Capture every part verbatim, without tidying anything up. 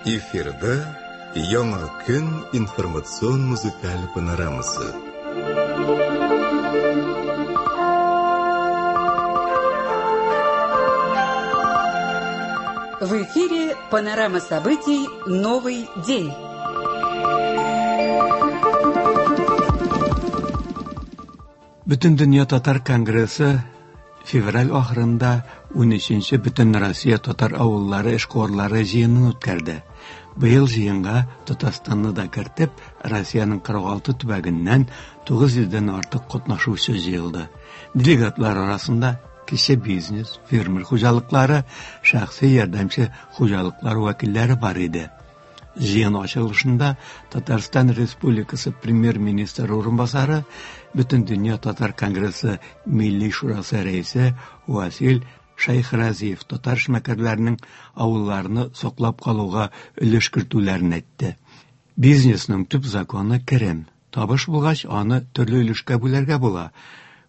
Эфирда Яңа көн информацион музыкаль панорамасы. В эфире панорама событий «Новый день». Бөтендөнья татар конгрессы февраль ахырында унөченче Бөтенроссия татар авыллары эшкуарлары җыенын үткәрде. Быел җыенга Татарстанны да кертеп, Россиянең кырык алты төбәгеннән тугыз йөздән артык катнашучы җыелды. Делегатлар арасында кече бизнес, фермер хуҗалыклары, шәхси ярдәмче хуҗалыклар вәкилләре бар иде. Җыен ачылышында Татарстан Республикасы премьер-министры урынбасары, Бөтендөнья татар конгрессы Милли шурасы рәисе Васил Шәйхразиев татар эшмәкәрләренең авылларны саклап калуга өлеш кертүләрен әйтте. Бизнесның төп законы керем. Табыш булгач, аны төрле өлешкә бүләргә була.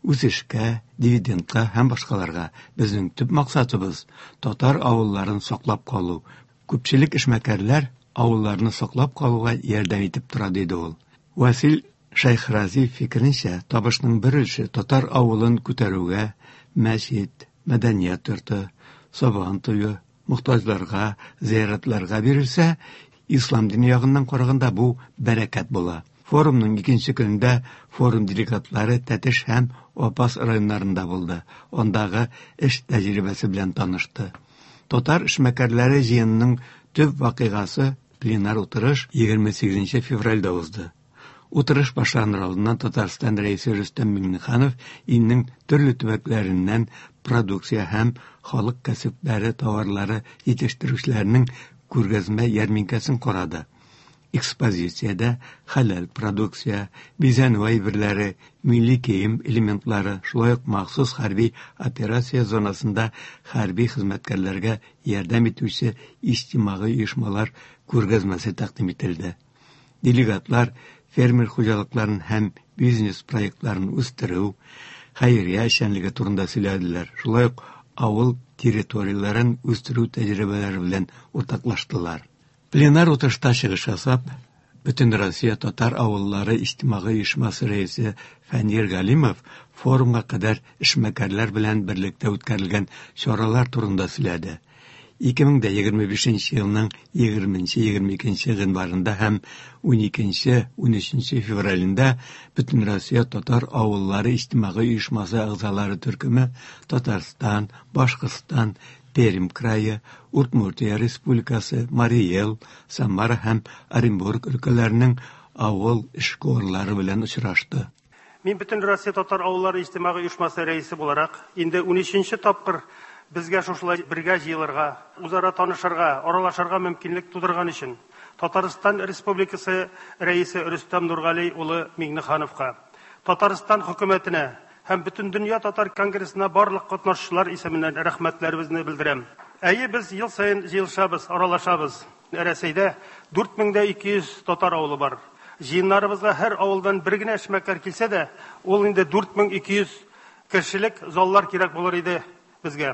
Үсешкә, дивидендка һәм башкаларга. Безнең төп максатыбыз татар авылларын саклап калу. Күпчелек эшмәкәрләр авылларны саклап калуга ярдәм итеп тора, диде ул. Васил Шәйхразиев фикеренчә, табышның бер өлеше татар авылын күтәрүгә, мәчет, мәдәният йорты, сабан туе, мохтаҗларга, зыяратларга бирелсә, ислам дине ягыннан караганда бу бәрәкәт була. Форумның икенче көнендә форум делегатлары Тәтеш һәм Апас районнарында булды. Андагы эш тәҗрибәсе белән танышты. Татар эшмәкәрләре җыенының төп вакыйгасы пленар утырыш егерме сигезенче февральдә узды. Утырыш башланыр алдыннан Татарстан рәисе Рөстәм Миңнеханов илнең төрле төбәкләреннән продукция һәм халык кәсепләре товарлары җитештерүчеләренең күргәзмә ярминкәсен карады. Экспозициядә хәләл продукция, бизәнү әйберләре, милли кием элементлары, шулай ук махсус хәрби операция зонасында хәрби хезмәткәрләргә ярдәм итүче иҗтимагый оешмалар күргәзмәсе тәкъдим ителде. Делегатлар фермер хуҗалыкларын һәм бизнес проектларын үстерү, хәйрия эшчәнлеге турында сөйләделәр. Шулай ук авыл территорияләрен үстерү тәҗрибәләре белән уртаклаштылар. Пленар утырышта чыгыш ясап, Бөтенроссия татар авыллары иҗтимагый оешмасы рәисе Фәнир Галимов форумга кадәр эшмәкәрләр белән берлектә үткәрелгән чаралар турында сөйләде. Ике мең дә егерме бишенче елның егерменче, егерме икенче гыйнварында һәм уникенче, унөченче февралендә Бөтенроссия татар авыллары иҗтимагый оешмасы әгъзалары төркеме Татарстан, Башкортстан, Пермь крае, Удмуртия Республикасы, Марий Эл, Самара һәм Оренбург өлкәләренең авыл эшкуарлары белән очрашты. Мин Бөтенроссия татар авыллары иҗтимагый оешмасы рәисе буларак инде унөченче тапкыр безгә шушылай бергә җыелырга, үзара танышырга, аралашырга мөмкинлек тудырган өчен Татарстан Республикасы рәисе Рөстәм Нургали улы Миңнехановка, Татарстан хөкүмәтенә һәм Бөтендөнья татар конгрессына барлык катнашучылар исеменнән рәхмәтләребезне белдерәм. Әйе, без ел саен җыелышабыз, аралашабыз. Рәсәйдә дүрт мең дә ике йөз татар авылы бар. Җыеннарыбызга һәр авылдан бер генә эшмәкәр килсә дә, ул инде дүрт мең ике йөз кешелек заллар кирәк булыр иде безгә.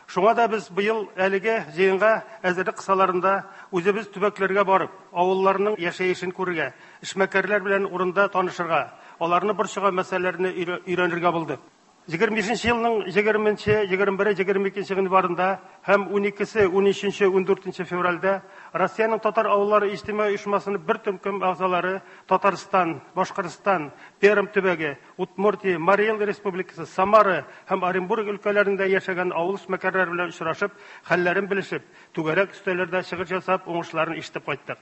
Шуңа да без быел әлеге җыенга әзерлек кысаларында үзебез төбәкләргә барып, авылларның яшәешен күрергә, эшмәкәрләр белән урында танышырга, аларны борчыган мәсьәләләрне өйрәнергә булдык. Егерме бишенче елның егерменче, егерме бере, егерме икенче гыйнварында һәм уникесе, унөченче, ундүртенче февральдә Россиянең татар авыллары иҗтимагый оешмасының бер төркем әгъзалары Татарстан, Башкортстан, Пермь төбәге, Удмуртия, Марий Эл Республикасы, Самара һәм Оренбург өлкәләрендә яшәгән авыл эшмәкәрләре белән очрашып, хәлләрен белешеп, түгәрәк өстәлләрдә чыгыш ясап, уңышларын ишетеп кайттык.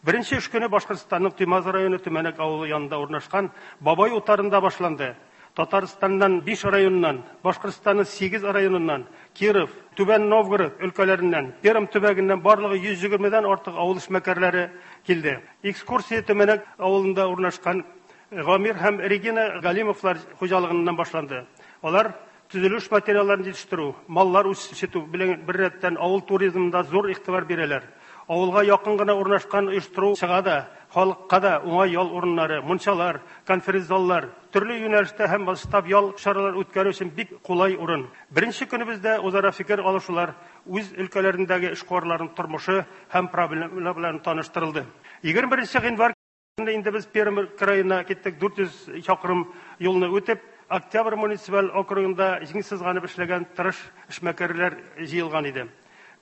Беренче эш көне Башкортстанның Туймазы районы Төмәнәк авылы янында урнашкан Бабай утарында башланды. Татарстаннан биш районыннан, Башкортстанның сигез районыннан, Киров, Түбән Новгород өлкәләреннән, Пермь төбәгеннән барлыгы йөз егермедән артык авыл эшмәкәрләре килде. Экскурсия Төмәнәк авылында урнашкан Гамир һәм Регина Галимовлар хуҗалыгыннан башланды. Алар төзелеш материалларын җитештерү, маллар үстерү белән беррәттән авыл туризмында зур игътибар бирәләр. Авылга якын гына урнашкан оештыру чыга да Халыкка да уңай ял урыннары, мунчалар, конференц-заллар, төрле юнәлештә һәм масштаб ял чаралар үткәрү өчен бик кулай урын. Беренче көнебездә үзара фикер алышулар үз өлкәләрендәге эшкуарларның тормышы һәм проблемалары белән таныштырылды. Егерме беренче гыйнвар көнне инде без Пермь краена киттек, дүрт йөз чакрым юлны үтеп, Октябрь муниципаль округында җиң сызганып эшләгән тырыш эшмәкәрләр җыелган иде.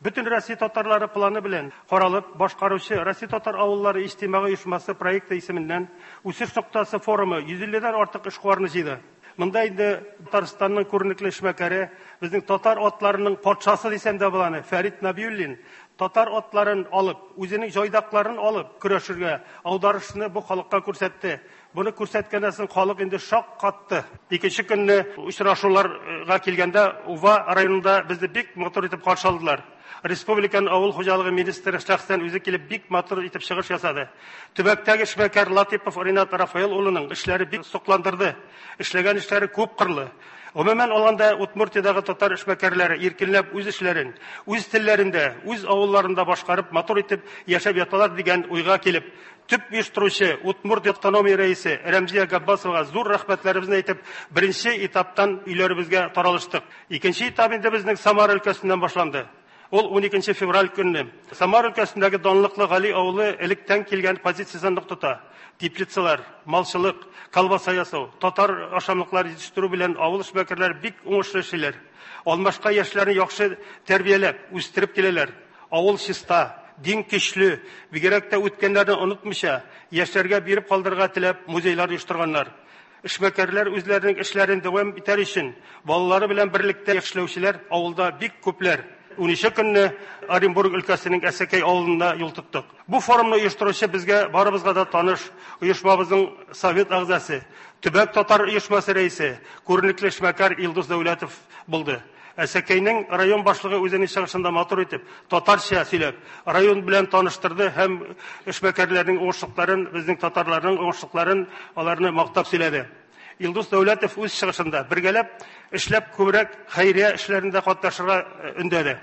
Бөтен Россия татарлары планы белән каралып башкаручы Россия татар авыллары иҗтимагый оешмасы проекты исеменнән Үсеш ноктасы форумы йөз илледән артык эшкуарны җыйды. Монда инде Татарстанның күренекле эшмәкәре, безнең татар атларының патшасы дисәм дә була аны, Фәрит Набиуллин татар атларын алып, үзенең җайдакларын алып көрәшергә, аударышны бу халыкка күрсәтте. Буны күрсәткәннән соң халык инде шаккатты. Икенче көнне очрашуларга килгәндә Ува районында безне бик матур итеп каршы алдылар. Республиканың авыл хуҗалыгы министры шәхсән үзе килеп бик матур итеп чыгыш ясады. Төбәктәге эшмәкәр Латипов Ринат Рафаэл улының эшләре бик сокландырды. Эшләгән эшләре күп кырлы. Гомумән алганда Удмуртиядәге татар эшмәкәрләре иркенләп үз эшләрен, үз телләрендә, үз авылларында башкарып, матур итеп яшәп яталар дигән уйга килеп, төп оештыручы Удмурт автономия рәисе Рәмзия Габбасовага зур рәхмәтләребезне әйтеп, беренче этаптан өйләребезгә таралыштык. Икенче этап инде безнең Самара өлкәсеннән башланды. Ул уникенче февраль көнне Самара өлкәсендәге данлыклы Гали авылы электән килгән позициясен нык тота. Теплицалар, малчылык, колбаса ясау, татар ашамлыклары җитештерү белән авыл эшмәкәрләре бик уңышлы эшлиләр. Алмашка яшьләрне яхшы тәрбияләп, үстереп киләләр. Авыл чиста, дин көчле, бигрәк тә үткәннәрне онытмыйча, яшьләргә биреп калдырырга теләп музейлар оештырганнар. Эшмәкәрләр үзләренең эшләрен дәвам итәр өчен балалары белән берлектә эшләүчеләр авылда бик күпләр. Унөченче көнне Оренбург өлкәсенең Әсәкәй авылында юл тоттык. Бу форумны оештыручы безгә барыбызга да таныш оешмабызның совет әгъзасы, төбәк татар оешмасы рәисе, күренекле эшмәкәр Илдус Дәүләтов булды. Әсәкәйнең район башлыгы үзенең чыгышында матур итеп татарча сөйләп, район белән таныштырды һәм эшмәкәрләрнең уңышлыкларын, безнең татарларның уңышлыкларын аларны мактап сөйләде. Илдус Дәүләтов үз чыгышында бергәләп эшләп күбрәк хәйрия эшләрендә катнашырга өндәде.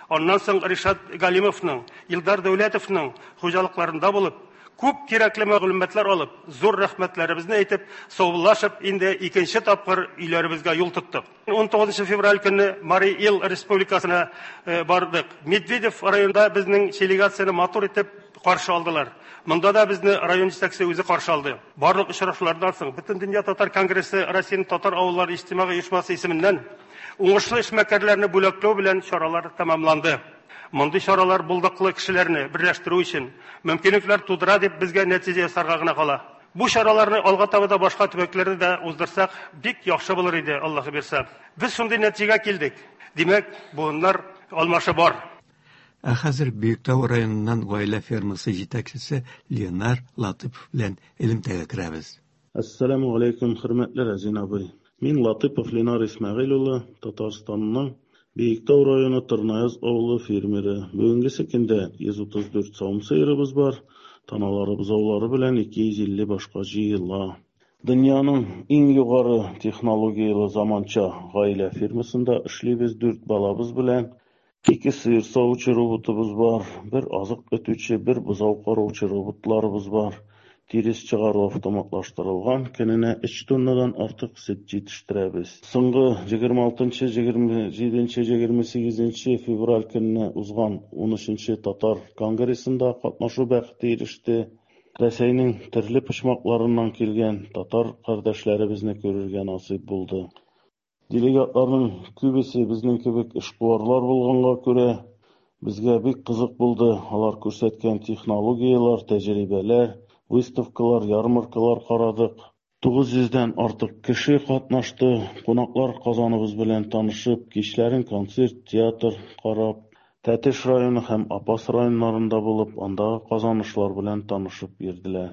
Аннан соң Ришат Галимовның, Илдар Дәүләтовның хуҗалыкларында булып, күп кирәкле мәгълүматлар алып, зур рәхмәтләребезне әйтеп, саубуллашып, инде икенче тапкыр өйләребезгә юл тоттык. ун тугызынчы февраль көнне Марий Эл республикасына бардык. Медведев районында безнең делегацияне матур итеп каршы алдылар. Монда да безне район җитәкчесе үзе каршы алды. Барлык очрашулардан соң Бөтендөнья татар конгрессы Россиянең татар авыллары иҗтимагый оешмасы исеменнән уңышлы эшмәкәрләрне бүләкләү белән чаралар тәмамланды. Мондый чаралар булдыклы кешеләрне берләштерү өчен мөмкинлекләр тудыра дип безгә нәтиҗә ясарга гына кала. Бу чараларны алга таба да башка төбәкләрдә дә уздырсак, бик яхшы булыр иде, Аллаһ бирсә. Без шундый нәтиҗәгә килдек. Димәк, буыннар алмашы бар. Ә хәзер Биектау районыннан гаилә фермасы җитәкчесе Ленар Латыпов белән элемтәгә керәбез. Ассаламу алейкум, хөрмәтле Разин абый. Мин Латыпов Ленар Исмәгыйль улы, Татарстанның Биектау районы Тырнаяз авылы фермеры. Бүгенгесе көндә йөз утыз дүрт савым сыерыбыз бар. Таналары бозаулары белән ике йөз илле башка җыела. Дөньяның иң югары технологияле заманча гаилә фермасында эшлибез дүрт балабыз белән. Ике сыер савучы роботыбыз бар, бер азык өтүче, бер бозау караучы роботларыбыз бар. Тирес чыгару автоматлаштырылган, көненә өч тоннадан артык сөт җитештерәбез. Соңгы егерме алтынчы, егерме җиденче, егерме сигезенче февраль көнне узган унөченче татар конгрессында катнашу бәхете иреште. Рәсәйнең төрле почмакларыннан килгән татар кардәшләребезне күрергә насыйп булды. Делегатларның күбесе безнең кебек эшкуарлар булганга күрә, безгә бик кызык булды. Алар күрсәткән технологияләр, тәҗрибәләр, выставкалар, ярмаркалар карадык. Тугыз йөздән артык кеше катнашты. Кунаклар Казаныбыз белән танышып, кичләрен концерт, театр карап, Тәтеш районы һәм Апас районнарында булып, андагы казанышлар белән танышып йөрделәр.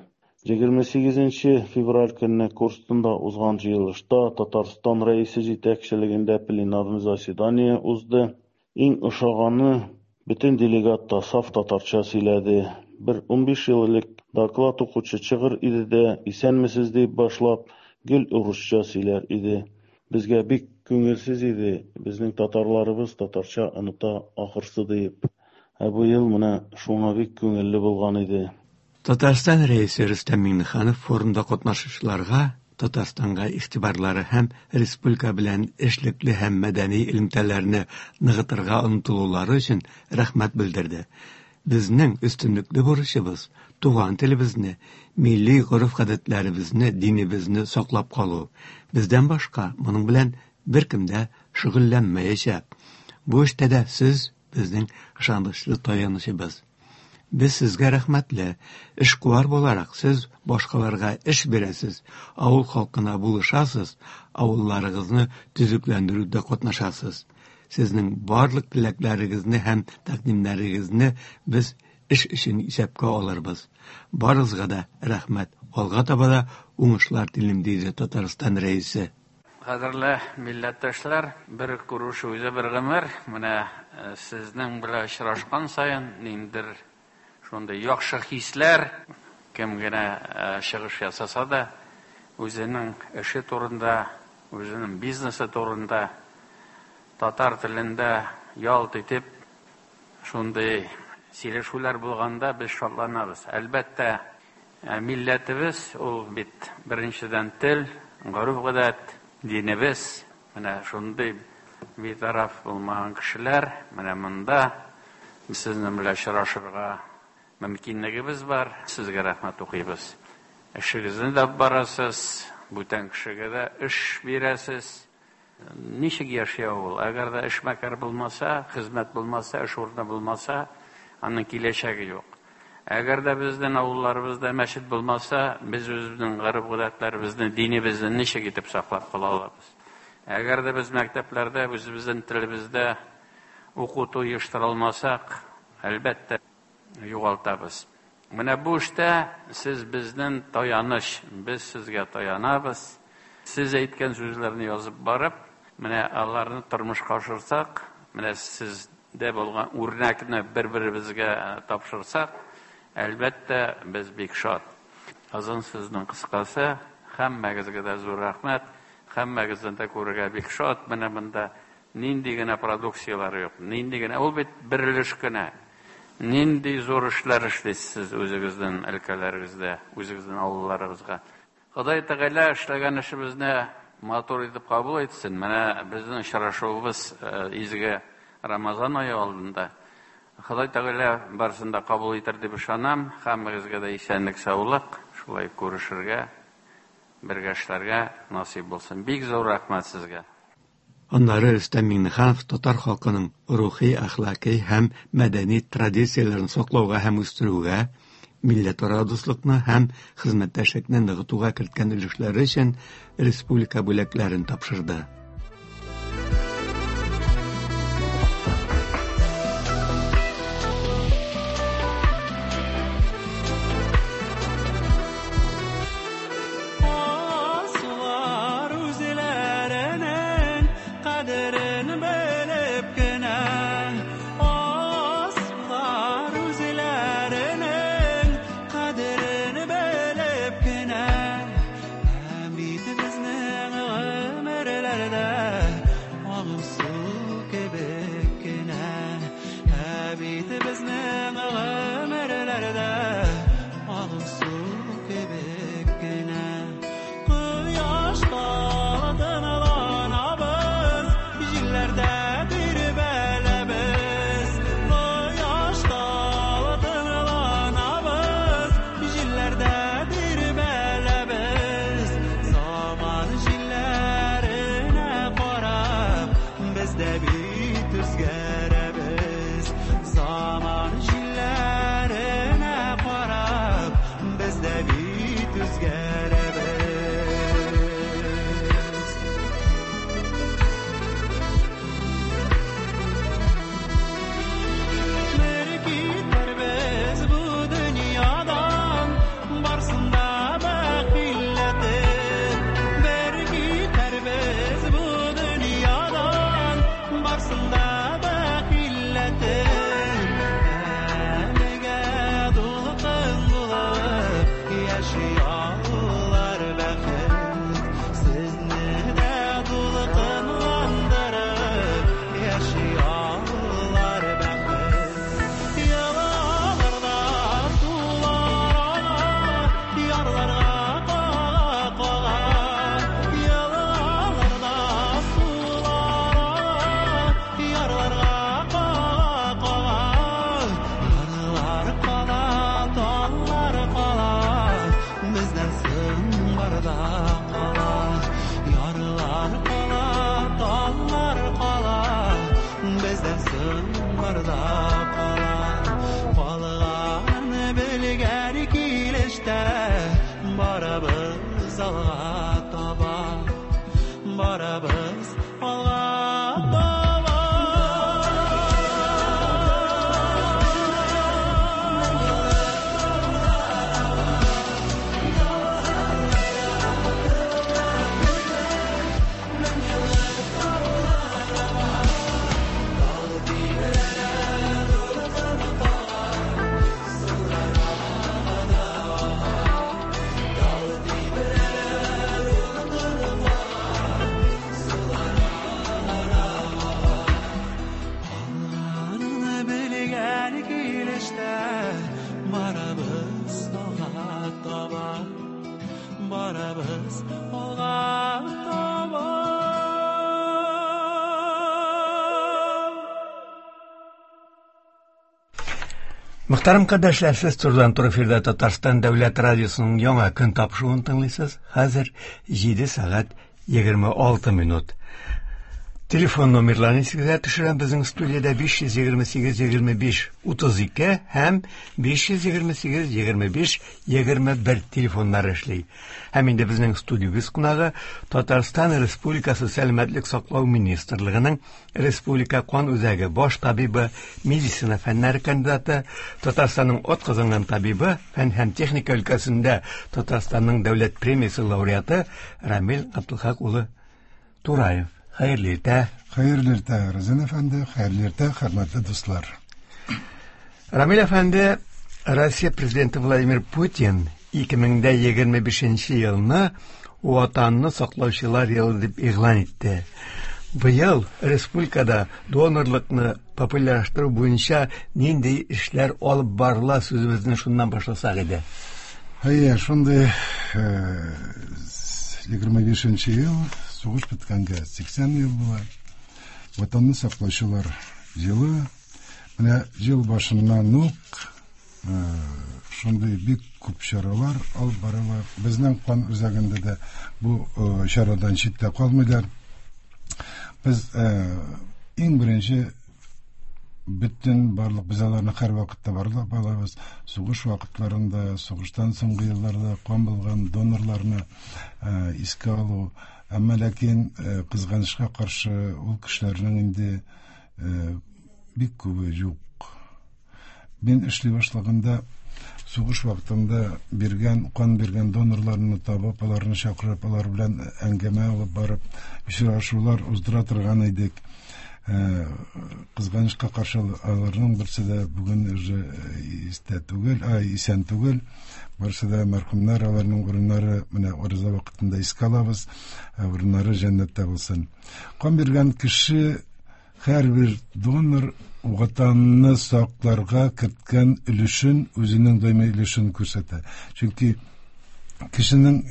Егерме сигезенче февраль көнне Корстонда узган җыелышта Татарстан рәисе җитәкчелегендә пленарный заседание узды. Иң ошаганы, бөтен делегат та саф татарча сөйләде. Бер унбиш ел элек доклад укучы чыгыр иде дә, исәнмесез дип башлап, гел урысча сөйләр иде. Безгә бик күңелсез иде, безнең татарларыбыз татарча оныта ахырсы дип. Ә бу ел менә шуңа бик күңелле булган иде. Татарстан Рәисе Рөстәм Миңнеханов форумда катнашучыларга Татарстанга игътибарлары һәм республика белән эшлекле һәм мәдәни элемтәләрне ныгытырга омтылулары өчен рәхмәт белдерде. Безнең өстенлекле бурычыбыз туган телебезне, милли гореф-гадәтләребезне, динебезне саклап калу. Бездән башка моның белән беркем дә шөгыльләнмәячәк. Бу эштә дә сез безнең ышанычлы таянычыбыз. Без сезгә рәхмәтле. Эшкуар буларак сез башкаларга эш бирәсез, авыл халкына булышасыз, авылларыгызны төзекләндерүдә катнашасыз. Сезнең барлык теләкләрегезне һәм тәкъдимнәрегезне без эш өчен исәпкә алырбыз. Барыгызга да рәхмәт. Алга таба да уңышлар телим, диде Татарстан Рәисе. Кадерле милләттәшләр, бер күрешү үзе бер гомер. Менә сезнең белән очрашкан саен ниндидер шундый яхшы хисләр, кем генә чыгыш ясаса да, үзенең эше турында, үзенең бизнесы турында татар телендә ялт итеп шундый сөйләшүләр булганда без шатланабыз. Әлбәттә, милләтебез ул бит беренчедән тел, гореф-гадәт, динебез. Менә шундый битараф булмаган кешеләр менә монда сезнең белән очрашырга мөмкинлегебез бар. Сезгә рәхмәт укыйбыз. Эшегезне дә барасыз, бүтән кешегә дә эш бирәсез. Ничек яши ул? Әгәр дә эшмәкәр булмаса, хезмәт булмаса, эш урыны булмаса, аның киләчәге юк. Әгәр дә безнең авылларыбызда мәчет булмаса, без үзебезнең гореф-гадәтләребезне, динебезне ничек итеп саклап кала алабыз? Әгәр дә без мәктәпләрдә үзебезнең телебездә укыту оештыра алмасак, әлбәттә, югалтабыз. Менә бу эштә сез безнең таяныч, без сезгә таянабыз. Сез әйткән сүзләрне язып барып, менә аларны тормышка ашырсак, менә сездә булган үрнәкне бер-беребезгә тапшырсак, әлбәттә, без бик шат. Озын сүзнең кыскасы, һәммәгезгә дә зур рәхмәт, һәммәгезне дә күрергә бик шат. Менә монда нинди генә продукцияләр юк, нинди генә, ул бит бер өлеш кенә. Нинди зур эшләр эшлисез үзегезнең өлкәләрегездә, үзегезнең авылларыгызга. Ходай Тәгалә эшләгән эшебезне матур итеп кабул итсен. Менә безнең очрашуыбыз изге Рамазан ае алдында. Ходай Тәгалә барысын да кабул итәр дип ышанам. Һәммәгезгә дә исәнлек, саулык, шулай күрешергә, бергә эшләргә насыйп булсын. Бик зур рәхмәт сезгә. Аннары Рөстәм Миңнеханов татар халкының рухи, әхлакый һәм мәдәни традицияләрен саклауга һәм үстерүгә, милләтара дуслыкны һәм хезмәттәшлекне ныгытуга керткән өлешләре өчен республика бүләкләрен тапшырды. Yalalarda sular тауларда кала. Калган белгән килештә барабыз алга таба, барабыз алга таба. Барабыз алга таба, барабыз алга таба. Мөхтәрәм кардәшләр, сез турыдан-туры эфирда Татарстан Дәүләт радиосының яңа көн тапшыруын тыңлыйсыз. Хәзер җиде сәгать егерме алты минут. Телефон номерларын исегезгә төшерәм. Безнең студиядә биш йөз егерме сигез егерме биш утыз ике һәм биш йөз егерме сигез егерме биш егерме бер телефоннары эшли. Һәм инде безнең студиябез кунагы Татарстан Республикасы Сәламәтлек саклау министрлыгының Республика кан үзәге баш табибы, медицина фәннәре кандидаты, Татарстанның атказанган табибы, фән һәм техника өлкәсендә Татарстанның дәүләт премиясе лауреаты Рамил Габдулхак улы Тураев. Хәерле иртә. Хәерле иртә, Разин әфәнде, хәерле иртә, хөрмәтле дуслар. Рамил әфәнде, Россия президенты Владимир Путин ике мең дә егерме бишенче елны Ватанны саклаучылар елы дип игълан итте. Быел республикада донорлыкны популярлаштыру буенча нинди эшләр алып барыла, сүзебезне шуннан башласак иде. Әйе, шундый егерме бишенче ел, сугыш беткәнгә сиксән ел була. Ватанны саклаучылар елы. Менә ел башыннан ук шундый бик күп чаралар алып барыла. Безнең кан үзәгендә дә бу чарадан читтә калмыйлар. Без иң беренче бөтен барлык без аларны һәр вакытта барлап алабыз. Сугыш вакытларында, сугыштан соңгы елларда кан булган донорларны искә алу. Әмма ләкин кызганычка каршы ул кешеләрнең инде бик күбе юк. Мин эшли башлаганда сугыш вакытында биргән, кан биргән донорларны табып, аларны чакырып, алар белән әңгәмә алып барып, очрашулар уздыра торган идек. Кызганычка каршы аларның берсе дә бүген уже истә түгел, ай, исән түгел. Барысы да мәрхүмнәр, аларның урыннары менә ураза вакытында искә алабыз, урыннары җәннәттә булсын. Кан биргән кеше, һәрбер донор Ватанны сакларга керткән өлешен, үзенең даими өлешен күрсәтә. Чөнки кешенең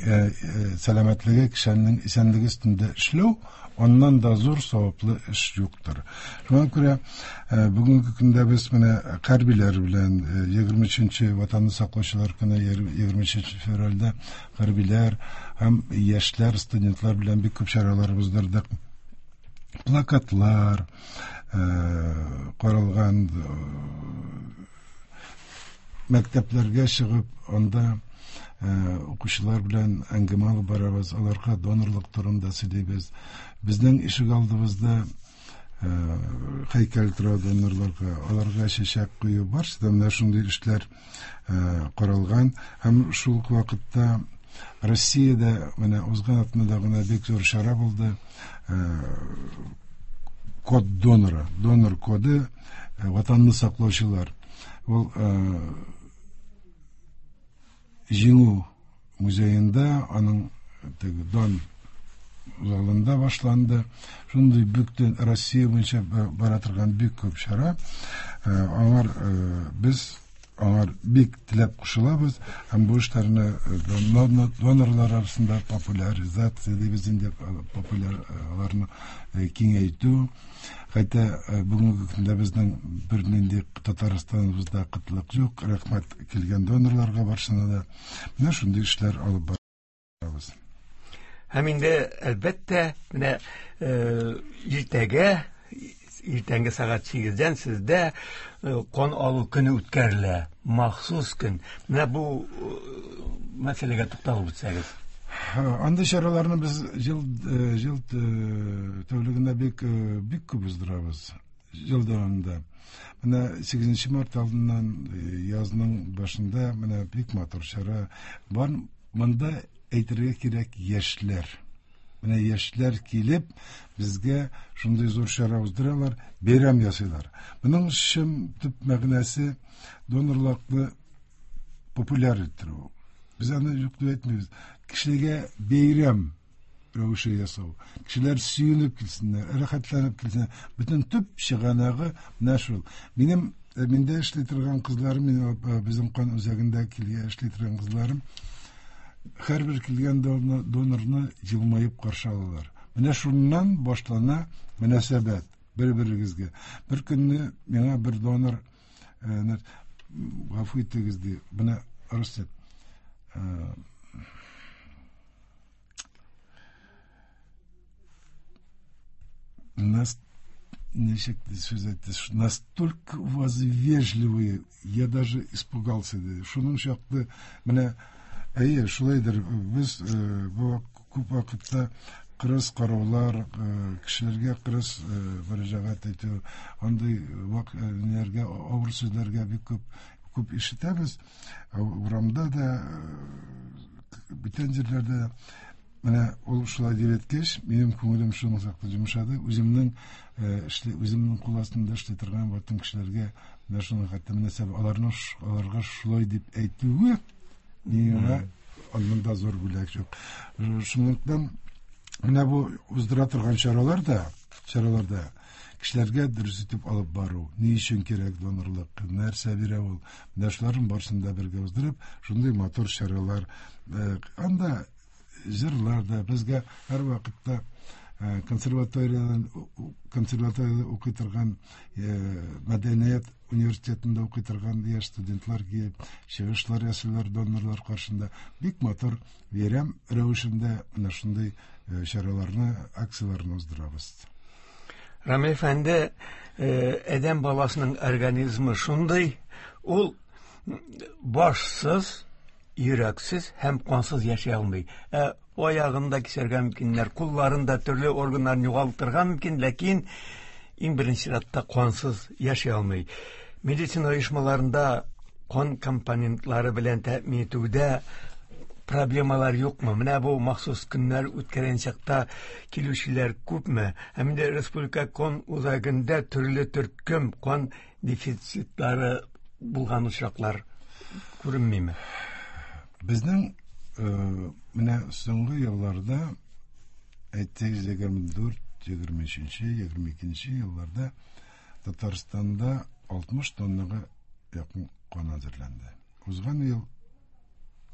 сәламәтлеге, кешенең исәнлеге өстендә эшләү, аннан да зур саваплы эш юктыр. Шуңа күрә бүгенге көндә без менә хәрбиләр белән егерме өченче Ватанны саклаучылар көне егерме өченче февральдә хәрбиләр һәм яшьләр, студентлар белән бик күп чаралар уздырдык. Плакатлар каралган, мәктәпләргә чыгып, анда укучылар белән әңгәмә алып барабыз, аларга донорлык турында сөйлибез. Безнең ишек алдыбызда һәйкәл тора донорларга, аларга чәчәк кую, барысы да менә шундый эшләр каралган. Һәм шул ук вакытта Россиядә менә узган атнада гына бик зур чара булды. Код донора, донор коды, Ватанны саклаучылар. Ул Җиңү музеенда, аның теге дан залында башланды. Шундый бөтен Россия буенча бара торган бик күп чара. Аңар без аңар бик теләп кушылабыз һәм бу эшләрне донорлар арасында популяризация дибез инде, популяр аларны киңәйтү. Хәтта бүгенге көндә безнең бернинди Татарстаныбызда кытлык юк. Рәхмәт килгән донорларга барысына да. Менә шундый эшләр алып барабыз. Һәм инде әлбәттә менә иртәгә иртәнге сәгать сигездән сездә кан алу көне үткәрелә. Махсус көн. Менә бу мәсьәләгә тукталып үтсәгез. Андый чараларны без ел ел тәүлегендә бик бик күп уздырабыз. Ел дәвамында. Менә сигезенче март алдыннан язның башында менә бик матур чара бар. Монда әйтергә кирәк, яшьләр. Менә яшьләр килеп безгә шундый зур чара уздыралар, бәйрәм ясыйлар. Моның чын төп мәгънәсе донорлыкны популяр иттерү. Без аны юк дип әйтмибез. Кешеләргә бәйрәм рәвеше ясау. Кешеләр сөенеп килсеннәр, рәхәтләнеп килсеннәр. Бөтен төп чыганагы менә шул. Минем миндә эшли торган кызларым, минем безнең кан үзәгендә килгән эшли торган кызларым һәрбер килгән донорны елмаеп каршы алалар. Менә шуннан башлана мөнәсәбәт бер-берегезгә. Бер көнне миңа бер донор гафу итегез ди. Менә русча нас ничек сүз әйтте, настолько у вас вежливые, я даже испугался. Шуның чаклы менә әйе, шулайдыр. Без бу күп вакытта кырыс караулар, кешеләргә кырыс мөрәҗәгать итү, андый ниләргә, авыр сүзләргә бик күп күп ишетәбез. Урамда да, бүтән җирләрдә. Менә ул шулай дип әйткәч, минем күңелем шуның чаклы йомшады. Үземнең эшли, үземнең кул астында эшли торган бөтен кешеләргә менә шуның хәтта мөнәсәбәт, аларның аларга шулай дип әйтүе миңа аннан да зур бүләк юк. Шунлыктан менә бу уздыра торган чаралар да, чараларда кешеләргә дөрес итеп алып бару, ни өчен кирәк донорлык, нәрсә бирә ул, менә шуларның барысын да бергә уздырып, шундый матур чаралар. Анда җырлар да безгә һәр вакытта консерваториядан консерваторияда укый торган, мәдәният университетында укый торган яшь студентлар килеп чыгышлар ясыйлар донорлар каршында. Бик матур бәйрәм рәвешендә менә шундый чараларны, акцияләрне уздырабыз. Рамил әфәнде, адәм баласының организмы шундый, ул башсыз, йөрәксез һәм кансыз яши алмый. Ә аягын да кисәргә мөмкиннәр, кулларын да, төрле органнарын югалтырга мөмкин, ләкин иң беренче чиратта кансыз яши алмый. Медицина оешмаларында кан компонентлары белән тәэмин итүдә проблемалар юкмы? Менә бу махсус көннәр үткәргән чакта килүчеләр күпме? Һәм инде республика кан үзәгендә төрле төркем кан дефицитлары булган очраклар күренмиме? Безнең менә соңгы елларда, әйтик, егерме дүрт, егерме өченче, егерме икенче елларда Татарстанда алтмыш тоннага якын кан әзерләнде. Узган ел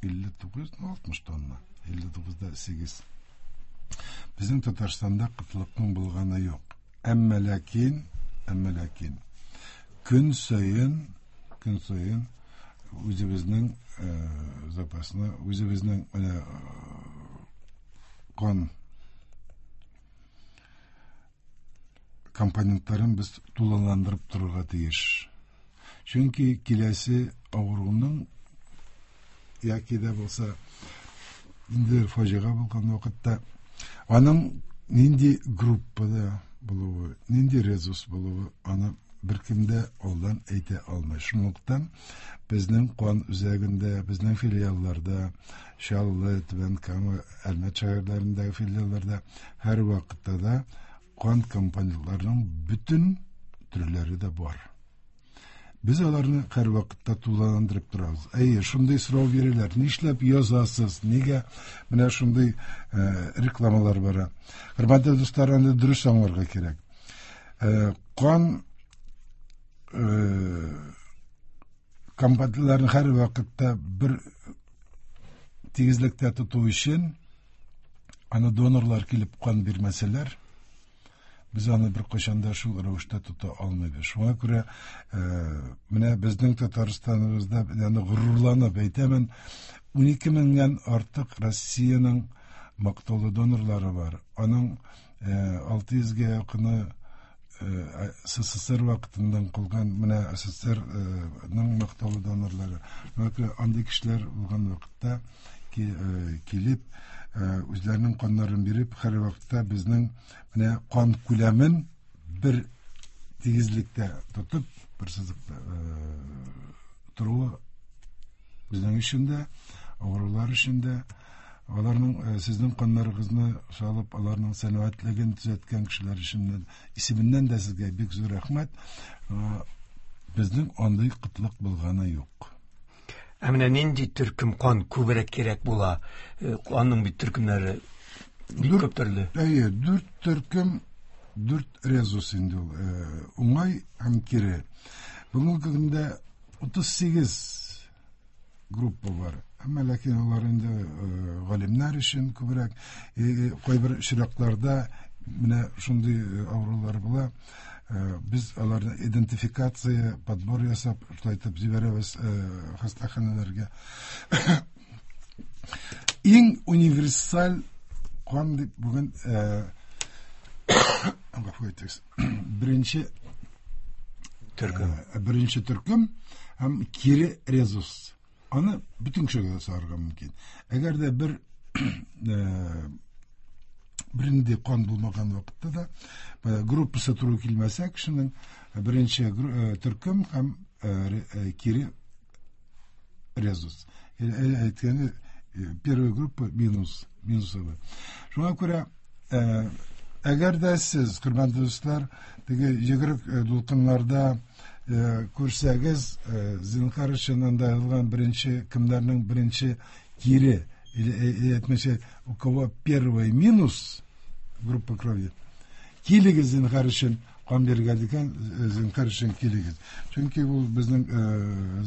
илле тугыз, алтмыш тонна, илле тугызда сигез. Безнең Татарстанда кытлыкның булганы юк. Әмма ләкин, әмма ләкин көн саен, көн саен үзебезнең запасны, үзебезнең менә кан компонентларын без тулыландырып торырга тиеш. Чөнки киләсе авыруның яки дә булса инде фаҗига булган вакытта аның нинди группада булуы, нинди резус булуы аны беркем дә алдан әйтә алмый. Шунлыктан безнең кан үзәгендә, безнең филиалларда, Чаллы, Түбән Кама, Әлмәт шәһәрләрендәге филиалларда һәр вакытта да кан компонентларының бөтен төрләре дә бар. Без аларны һәр вакытта тулыландырып торабыз. Әйе, шундый сорау бирәләр. Нишләп язасыз? Нигә менә шундый рекламалар бара? Хөрмәтле дуслар, аны дөрес аңларга кирәк. Кан компонентларын һәр вакытта бер тигезлектә тоту өчен аны донорлар килеп кан бирмәсәләр, без аны бер кайчан да шул рәвештә тота алмыйбыз. Шуңа күрә менә безнең Татарстаныбызда, аны горурланып әйтәмен, унике меңнән артык Россиянең мактаулы донорлары бар. Аның алты йөзгә якыны СССР вакытыннан калган менә СССРның мактаулы донорлары. Андый кешеләр булган вакытта килеп үзләренең каннарын биреп, һәр вакытта безнең менә кан күләмен бер тигезлектә тотып, бер сызыкта торуы безнең өчен дә, авырулар өчен дә, аларның сезнең каннарыгызны салып, аларның сәламәтлеген төзәткән кешеләр өчен исеменнән дә сезгә бик зур рәхмәт. Безнең андый кытлык булганы юк. Ә менә нинди төркем кан күбрәк кирәк була? Аның бит төркемнәре бик күп төрле. Әйе, дүрт төркем, дүрт резус инде ул. Уңай һәм кире. Бүгенге көндә утыз сигез группа бар. Әмма ләкин алар инде галимнәр өчен күбрәк, кайбер очракларда менә шундый авырулар була. Без аларны идентификация, подбор ясап, шулай итеп җибәрәбез хастаханәләргә. Иң универсаль кан дип бүген гафу итегез. Беренче төркем, беренче төркем һәм кире резус. Аны бөтен кешегә дә сарырга мөмкин. Әгәр дә бер бернинди кан булмаган вакытта да группасы туры килмәсә кешенең беренче төркем һәм кире резус. Әйткәне первая группа минус, минусовый. Шуңа күрә әгәр дә сез, хөрмәтле дуслар, теге йөгерек дулкыннарда күрсәгез, зинһар өчен анда язылган беренче кемнәрнең беренче кире, или әйтмәсә, у кого первый минус группа крови, килегез зинһар өчен кан бирергә дигән, зинһар өчен килегез. Чөнки ул безнең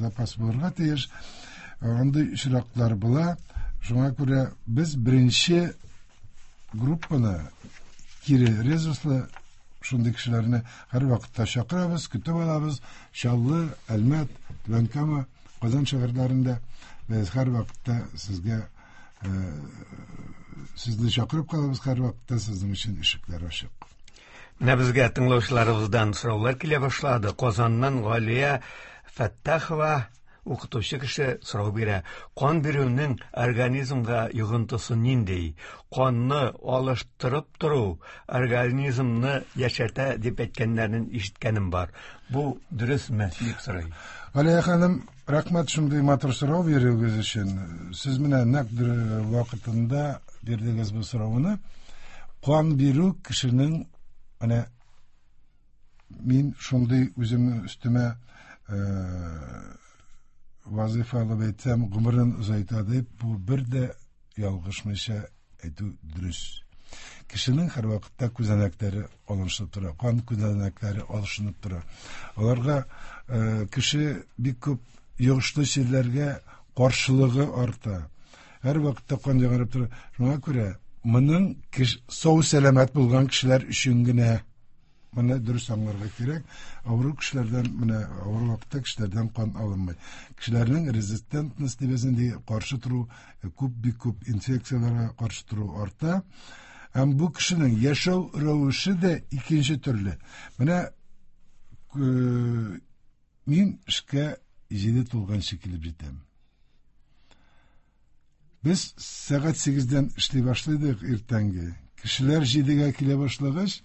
запас булырга тиеш. Андый очраклар була. Шуңа күрә без беренче группаны кире резуслы шундый кешеләрне һәр вакытта чакырабыз, көтеп алабыз. Чаллы, Әлмәт, Түбән Кама, Казан шәһәрләрендә без һәр вакытта сезгә сезне чакырып калабыз, һәр вакытта сезнең өчен ишекләр ачык. Менә безгә тыңлаучыларыбыздан сораулар килә башлады. Казаннан Галия Фәттахова укытучы кеше сорау бирә. Кан бирүнең организмга йогынтысы нинди? Канны алыштырып тору организмны яшәртә дип әйткәннәрен ишеткәнем бар. Бу дөресме дип сорый. Галия ханым, рәхмәт шундый матур сорау бирүегез өчен. Сез менә нәкъ вакытында бирдегез бу сорауны. Кан бирү кешенең менә мин шундый үземнең өстемә вазифа алып әйтсәм, гомерен озайта дип, бу бер дә ялгышмыйча әйтү дөрес. Кешенең һәр вакытта күзәнәкләре алышынып тора, кан күзәнәкләре алышынып тора. Аларга кеше бик күп йогышлы чирләргә каршылыгы арта. Һәр вакытта кан яңарып тора. Шуңа күрә моның сау сәламәт булган кешеләр өчен генә моны дөрес аңларга кирәк. Авыру кешеләрдән, менә авыру вакытта кешеләрдән кан алынмый. Кешеләрнең резистентность дибез инде, каршы тору, күп бик күп инфекцияләргә каршы тору арта. Һәм бу кешенең яшәү рәвеше дә икенче төрле. Менә мин эшкә җиде тулганчы килеп җитәм. Без сәгать сигездән эшли башлыйдык иртәнге. Кешеләр җидегә килә башлагач,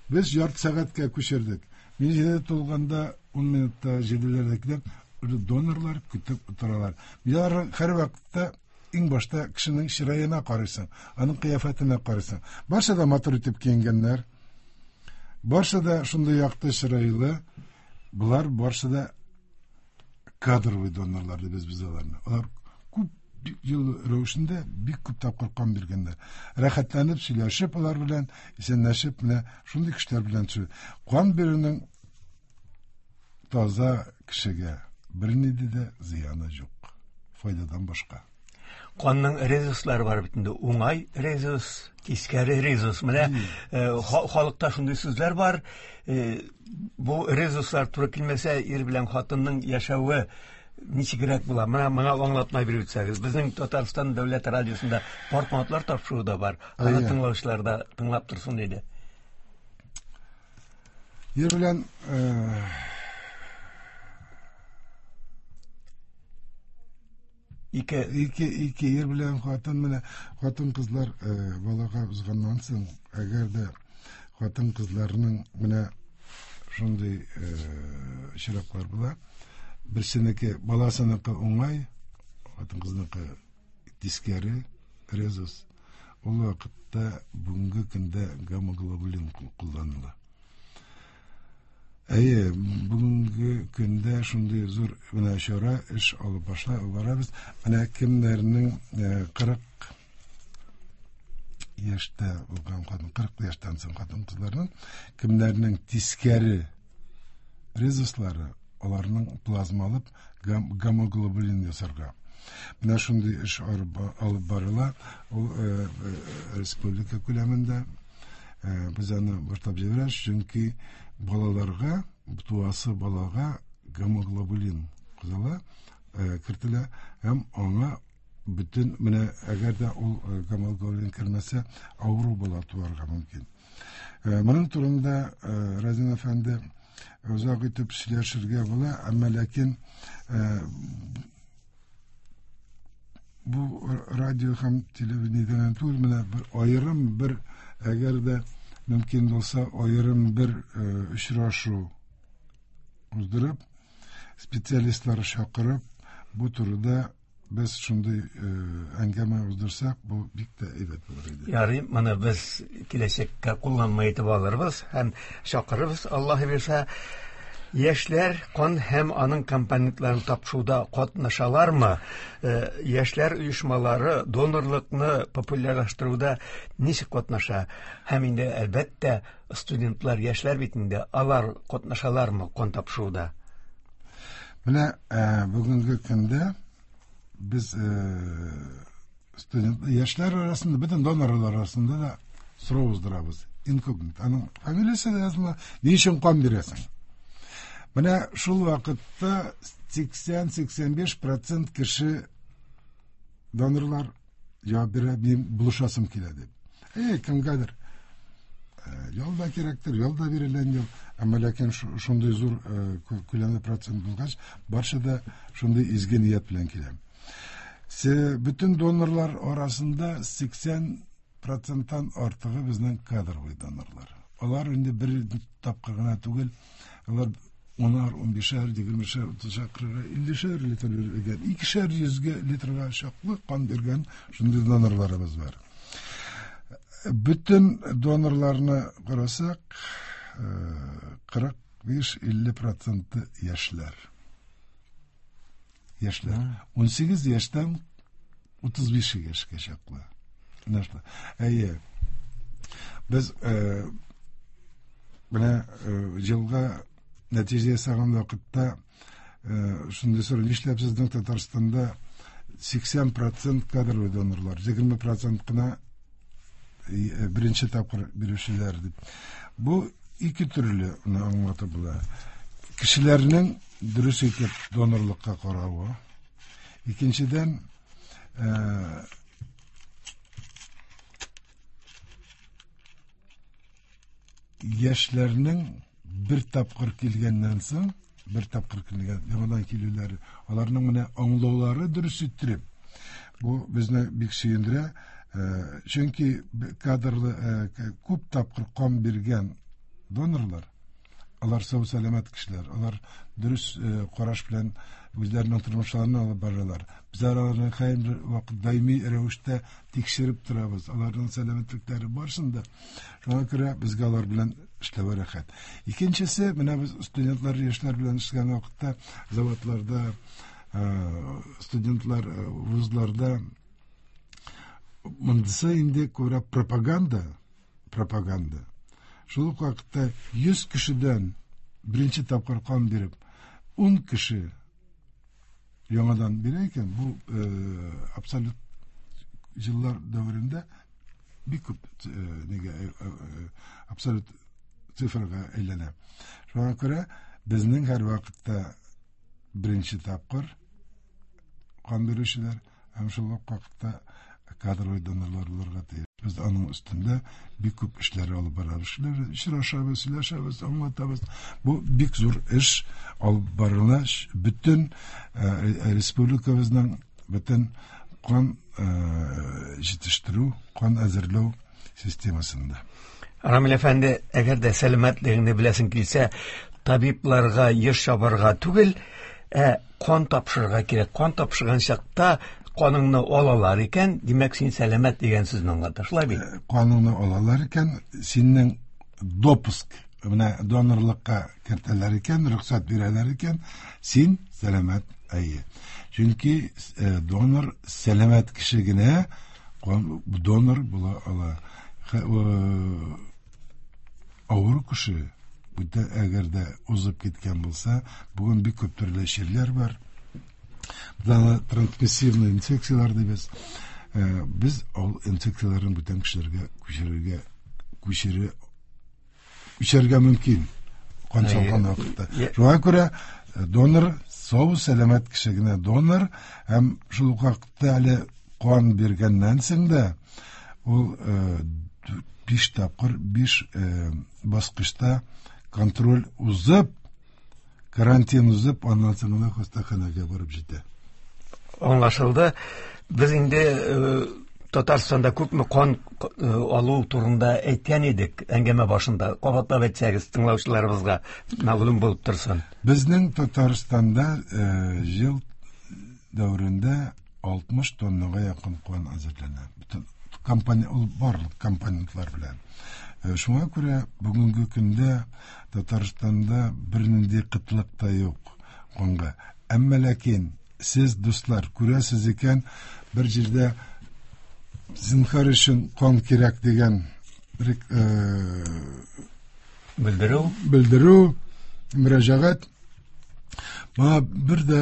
без ярты сәгатькә күчердек. Мин җиде тулганда ун минутта җиделәрдә киләм, донорлар көтеп утыралар. Мин һәр вакытта иң башта кешенең чыраена карыйсың, аның кыяфәтенә карыйсың. Барсы да матур итеп киенгәннәр, барсы да шундый якты чырайлы, булар барсы да кадровый донорлар дибез без аларны. Алар күп ел рәвешендә бик күп тапкыр кан биргәннәр. Рәхәтләнеп сөйләшеп алар белән, исәнләшеп, менә шундый кешеләр белән сөйләшеп. Кан бирүнең таза кешегә бернинди дә зыяны юк, файдадан башка. Канның резуслары бар бит инде. Уңай резус, тискәре резус. Менә халыкта шундый сүзләр бар. Бу резуслар туры килмәсә, ир белән хатынның яшәве ничегрәк була? Менә моңа аңлатма биреп үтсәгез. Безнең Татарстан дәүләт радиосында портматлар тапшыруы да бар. Аны тыңлаучылар да тыңлап торсын иде. Ир белән ике ике ике ир белән хатын, менә хатын кызлар балага узганнан соң, әгәр дә хатын кызларның менә шундый очраклар була. Берсенеке баласыныкы уңай, хатын кызныкы тискәре, резус. Ул вакытта бүгенге көндә гамма-глобулин кулланыла. Әйе, бүгенге көндә шундый зур менә чара эш алып башла барабыз. Менә кемнәрнең кырык яшьтә булган хатын, кырык яшьтән соң хатын кызларның кемнәрнең тискәре резуслары, аларның плазма алып гамма-глобулин ясарга. Менә шундый эш алып барыла. Ул республика күләмендә без аны башлап җибәрәбез, чөнки балаларга, туасы балага гамма-глобулин кызыла, кертелә һәм аңа бөтен менә әгәр дә ул гамма-глобулин кермәсә, авыру бала туарга мөмкин. Моның турында Разин әфәнде озак итеп сөйләшергә була, әмма ләкин бу радио һәм телевидениедән түгел, менә бер аерым бер, әгәр дә мөмкин булса, аерым бер очрашу уздырып, специалистлар чакырып, бу турыда без шундый әңгәмә уздырсак, бу бик тә әйбәт булыр иде. Ярый, моны без киләчәккә кулланма итеп алырбыз һәм чакырырбыз, Аллаһ бирсә. Яшьләр кан һәм аның компонентларын тапшыруда катнашалармы? Яшьләр оешмалары донорлыкны популярлаштыруда ничек катнаша? Һәм инде әлбәттә студентлар, яшьләр бит инде, алар катнашалармы кан тапшыруда? Менә бүгенге көндә без студент яшьләр арасында, бөтен донорлар арасында да сорау уздырабыз. Инкогнито. Аның фамилиясе дә языла. Ни өчен кан бирәсең? Менә шул вакытта сиксән-сиксән биш процент кеше донорлар җавап бирә, мин булышасым килә дип. Әй, кемгәдер ял да кирәктер, ял да бирелгән юк. Әмма ләкин шундый зур күләмле процент булгач, барсы да шундый изге ният белән килә. Бөтен донорлар арасында сиксән проценттан артыгы безнең кадровый донорлар. Алар инде бер тапкыр гына түгел, алар унар, унбишәр, егермешәр, утызшар, кырык, иллешәр литр биргән, икешәр йөзгә литрга чаклы кан биргән шундый донорларыбыз бар. Бөтен донорларны карасак, кырык биш илле проценты яшьләр. Яшьләр. Унсигез яшьтән утыз биш яшькә чаклы. Әйе. Без менә елга нәтиҗә ясаган вакытта шундый сорау: нишләп сезнең Татарстанда сиксән процент кадрлы донорлар, егерме процент кына беренче тапкыр бирүчеләр дип. Бу ике төрле аңлатып була. Кешеләрнең дөрес итеп донорлыкка каравы. Икенчедән, яшьләрнең бер тапкыр килгәннән соң, бер тапкыр килгән, яңадан килүләре, аларның менә аңлаулары дөрес иттереп, бу безне бик сөендерә. Чөнки кадрлы күп тапкыр кан биргән донорлар, алар сау сәламәт кешеләр, алар дөрес караш белән үзләренең тормышларын алып баралар. Без аларны һәр вакыт даими рәвештә тикшереп торабыз, аларның сәламәтлекләре барсын да. Шуңа күрә безгә алар белән эшләү рәхәт. Икенчесе, менә без студентлар, яшьләр белән эшләгән вакытта заводларда, студентлар вузларда монысы инде күбрәк пропаганда, пропаганда. Шул ук вакытта йөз кешедән беренче тапкыр кан биреп, ун кеше яңадан бирә икән, бу абсолют еллар дәверендә бик күп нигә абсолют цифрга әйләнә. Шуңа күрә безнең һәр вакытта беренче тапкыр кан бирүчеләр һәм шул ук вакытта Кадровый донорлар булырга тиеш. Без аның өстендә бик күп эшләр алып барабыз. Эшләр, очрашабыз, сөйләшәбез, аңлатабыз. Бу бик зур эш алып барыла. Бөтен республикабызның бөтен кан җитештерү, кан әзерләү системасында. Рамил әфәнде, әгәр дә сәламәтлегеңне беләсең килсә, табибларга еш чабарга түгел, ә кан тапшырырга кирәк. Кан тапшырган чакта каныңны алалар икән, димәк, син сәламәт дигән сүзне аңлата. Шулай бит? Каныңны алалар икән, синең допуск, менә донорлыкка кертәләр икән, рөхсәт бирәләр икән, син сәламәт, әйе. Чөнки донор сәламәт кеше генә донор була ала. Авыру кеше, әгәр дә узып киткән булса, бүген бик күп төрле чирләр бар. Без аны трансмиссивный инфекциялар дибез. Без ул инфекцияләрне бүтән кешеләргә күчерергә, күчере, күчерергә мөмкин кан салган вакытта. Шуңа күрә донор сау сәламәт кеше генә донор, һәм шул ук вакытта әле кан биргәннән соң да ул биш тапкыр, биш баскычта контроль узып, карантин узып, аннан соң гына хастаханәгә барып җитә. Аңлашылды. Без инде Татарстанда күпме кан алу турында әйткән идек әңгәмә башында. Кабатлап әйтсәгез, тыңлаучыларыбызга мәгълүм булып торсын. Безнең Татарстанда ел дәверендә алтмыш тоннага якын кан әзерләнә. Бөтен компания, ул барлык компонентлар белән. Шуңа күрә бүгенге көндә Татарстанда бернинди кытлык та юк канга. Әмма ләкин сез, дуслар, күрәсез икән, бер җирдә зинһар өчен кан кирәк дигән белдерү, белдерү, мөрәҗәгать. Моңа бер дә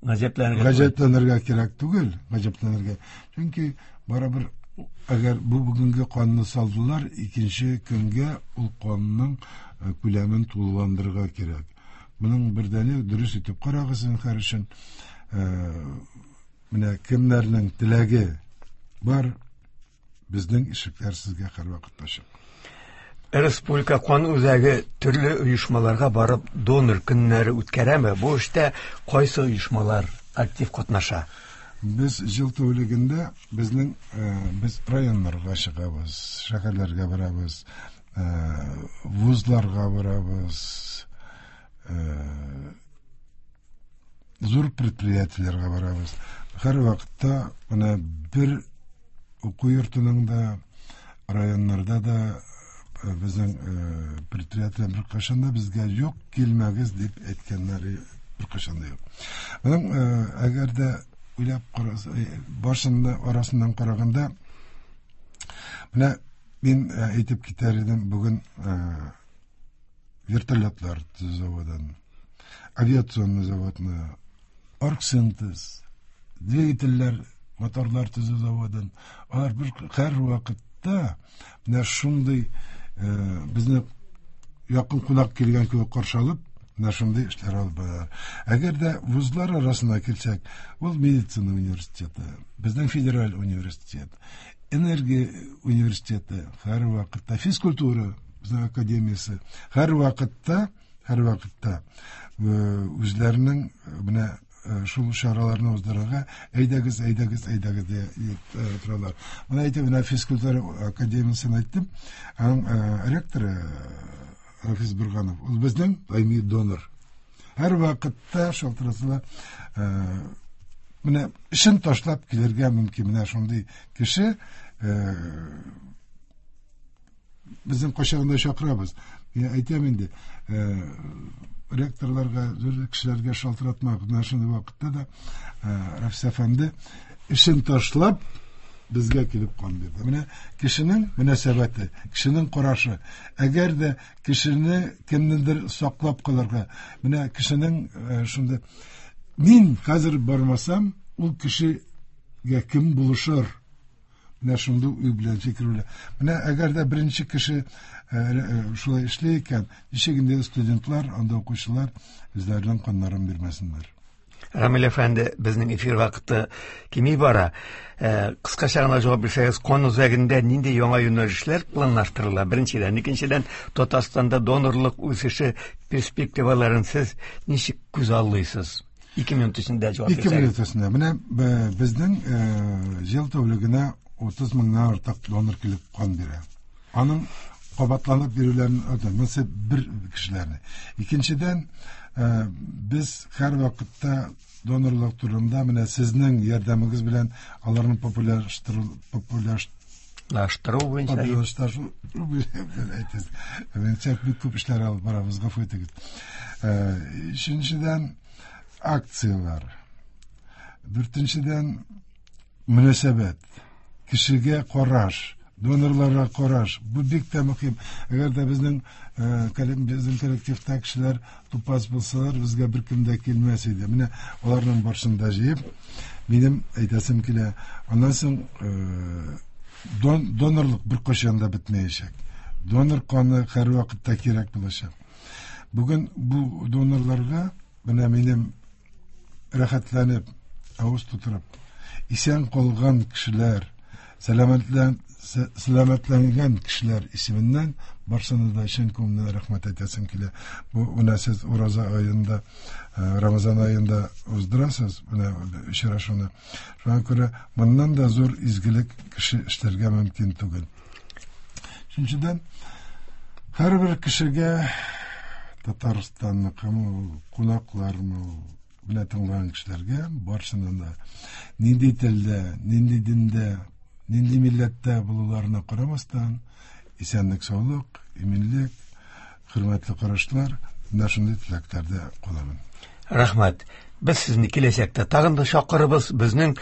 гаҗәпләнергә гаҗәпләнергә кирәк түгел, гаҗәпләнергә. Чөнки барыбер әгәр бу бүгенге канны салдылар, икенче көнгә ул канның күләмен тулыландырырга кирәк. Моның бердәне дөрес итеп карагыз зинһар өчен. Менә кемнәрнең теләге бар, безнең ишекләр сезгә һәрвакыт ачык. Республика кан үзәге төрле оешмаларга барып донор көннәре үткәрәме? Бу эштә кайсы оешмалар актив катнаша? Без ел тәүлегендә безнең без районнарга чыгабыз, шәһәрләргә барабыз, вузларга барабыз, зур предприятиеләргә барабыз. Һәр вакытта менә бер уку йортының да, районнарда да безнең предприятиеләр беркайчан да безгә юк, килмәгез дип әйткәннәре беркайчан да юк. Моның әгәр дә уйлап караса, башында арасыннан караганда, менә мин әйтеп китәр идем, бүген вертолетлар заводын, авиационный заводны, оргсинтез, двигательләр, моторлар төзү заводын, алар бер һәр вакытта менә шундый безне якын кунак килгән кебек каршы алып, менә шундый эшләр алып баралар. Әгәр дә вузлар арасына килсәк, ул медицина университеты, безнең федераль университет, энергия университеты, һәр вакытта физкультура безнең академиясе, һәр вакытта, һәр вакытта үзләренең менә шул чараларны уздырырга әйдәгез, әйдәгез, әйдәгез дип торалар. Менә әйтеп, менә физкультура академиясен әйттем. Аның ректоры Рафис Бурганов, ул безнең даими донор. Һәр вакытта шалтыратыла, менә эшен ташлап килергә мөмкин. Менә шундый кеше безнең кайчагында чакырабыз. Мин әйтәм инде, ректорларга, зур кешеләргә шалтыратмак. Менә шундый вакытта да Рафис әфәнде эшен ташлап безгә килеп кан бирде. Менә кешенең мөнәсәбәте, кешенең карашы. Әгәр дә кешене кемнедер саклап калырга, менә кешенең шундый, мин хәзер бармасам, ул кешегә кем булышыр? Менә шундый уй белән, фикер белән. Менә әгәр дә беренче кеше шулай эшли икән, ничек инде студентлар, анда укучылар үзләренең каннарын бирмәсеннәр. Рамил әфәнде, безнең эфир вакыты кими бара. Кыскача гына җавап бирсәгез, кан үзәгендә нинди яңа юнәлешләр планлаштырыла? Беренчедән, икенчедән, Татарстанда донорлык үсеше перспективаларын сез ничек күзаллыйсыз? Ике минут эчендә җавап бирсәгез. Ике минут эчендә. Менә безнең ел тәүлегенә утыз меңнән артык донор килеп кан бирә. Аның кабатланып бирүләрен монысы бер кешеләрне. Икенчедән, без һәр вакытта донорлык турында менә сезнең ярдәмегез белән аларны популярлаштыру популярлаштыру буенча популярлаштыру әйтәсез. Менә бик күп эшләр алып барабыз, гафу итегез. Өченчедән, акцияләр. Дүртенчедән, мөнәсәбәт, кешегә караш, донорларга караш. Бу бик тә мөһим. Әгәр дә безнең безнең коллективта кешеләр тупас булсалар, безгә беркем дә килмәс иде. Менә аларның барысын да җыеп, минем әйтәсем килә. Аннан соң донорлык беркайчан да бетмәячәк. Донор каны һәрвакытта кирәк булачак. Бүген бу донорларга менә минем рәхәтләнеп, авыз тутырып, исән калган кешеләр, сәламәтлән сәламәтләнгән кешеләр исеменнән барсына да чын күңелдән рәхмәт әйтәсем килә. Бу менә сез ураза аенда, Рамазан аенда уздырасыз менә очрашуны. Шуңа күрә моннан да зур изгелек кеше эшләргә мөмкин түгел. Өченчедән, һәрбер кешегә Татарстанныкымы, кунаклармы, менә тыңлаган кешеләргә барсына да нинди телдә, нинди диндә, нинди милләттә булуларына карамастан, исәнлек, саулык, иминлек, хөрмәтле карашлар, менә шундый теләкләрдә каламын. Рәхмәт. Без сезне киләчәктә тагын да чакырыбыз. Безнең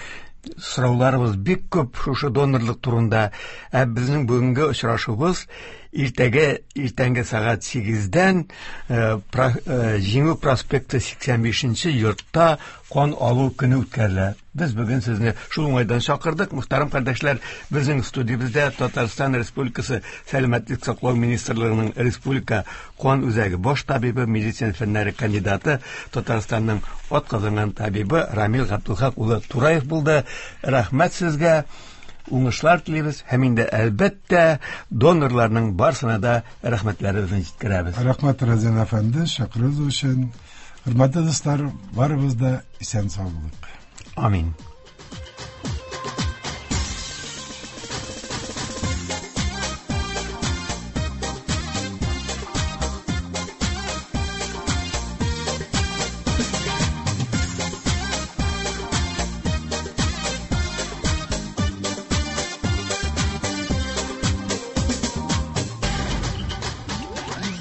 сорауларыбыз бик күп шушы донорлык турында. Ә безнең бүгенге очрашуыбыз иртәгә иртәнге сәгать сигездән Җиңү проспекты сиксән бишенче йортта кан алу көне үткәрелә. Без бүген сезне шул уңайдан чакырдык. Мөхтәрәм кардәшләр, безнең студиябездә Татарстан Республикасы Сәламәтлек саклау министрлыгының Республика кан үзәге баш табибы, медицина фәннәре кандидаты, Татарстанның атказанган табибы Рамил Габдулхак улы Тураев булды. Рәхмәт сезгә. Уңышлар телибез һәм инде әлбәттә донорларның барсына да рәхмәтләребезне җиткерәбез. Рәхмәт, Разин әфәнде, чакыруыгыз өчен. Хөрмәтле дуслар, барыбыз да исән сау булыйк. Амин.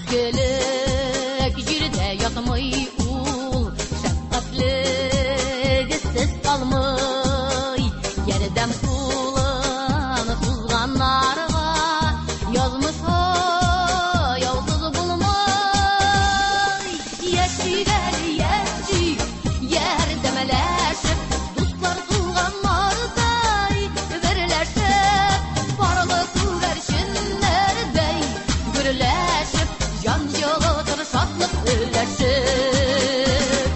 Изгелек җирдә ятмый ул, шәфкатьлегесез калмый. Ярдәм кулын сузганнарга язмыш аяусыз булмый. Яшик әле, яшик, ярдәмләшеп, дуслар туганнардай берләшеп, парлы күгәрченнәрдәй гөрләшеп, җан җылытыр шатлык өләшеп.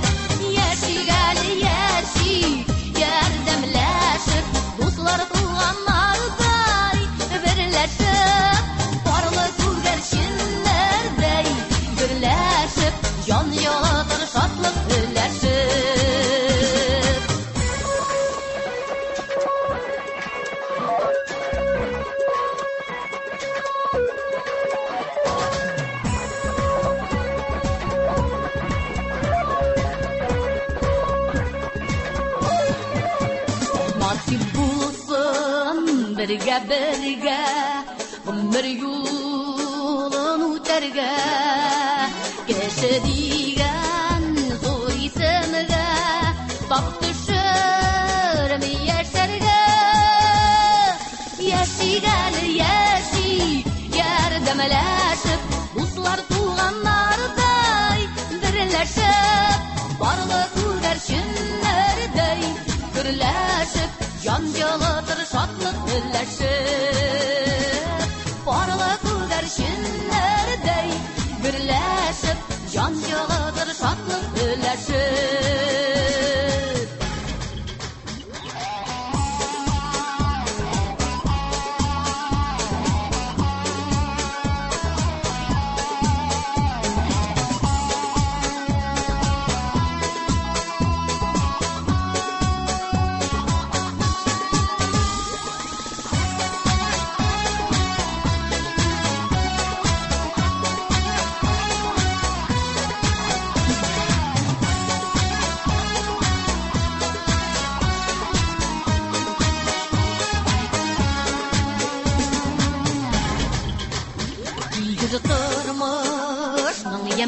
Яшик әле, яшик, ярдәмләшеп, дуслар туганнардай берләшеп, парлы күгәрченнәрдәй гөрләшеп, җан җылытыр шатлык өләшеп. Насип булсын бергә бергә гомер юлын үтәргә, кеше дигән зур исемгә тап төшерми яшәргә. Яшик әле, яшик, ярдәмләшеп, дуслар туганнардай берләшеп, барлык күгәрченнәрдәй гөрләшеп, җан җылытыр шатлык өләшеп. Парлы күгәрченнәрдәй гөрләшеп, җан җылытыр шатлык өләшеп.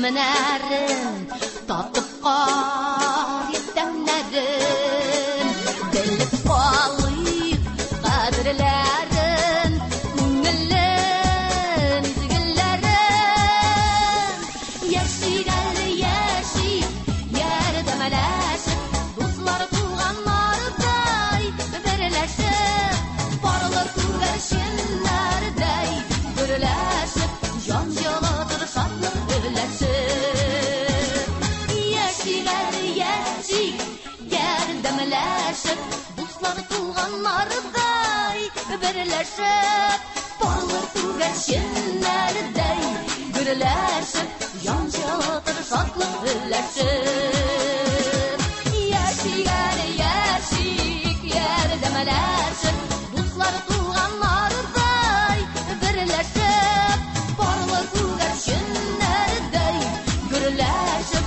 Җемнәрен татып карыйк тәмнәрен, белеп калыйк кадерләрен, күңелен, изгеләрен. Яшик әле, яшик, ярдәмләшеп, дуслар туганнардай берләшеп, парлы күгәрченнәрдәй гөрләшеп, җан җылытыр шатлык өләшеп. Яшик әле, яшик, ярдәмләшеп, дуслар туганнардай берләшеп, парлы күгәрченнәрдәй гөрләшеп, җан җылытыр шатлык өләшеп. Яшик әле, яшик, ярдәмләшеп, дуслар туганнардай берләшеп, парлы күгәрченнәрдәй гөрләшеп,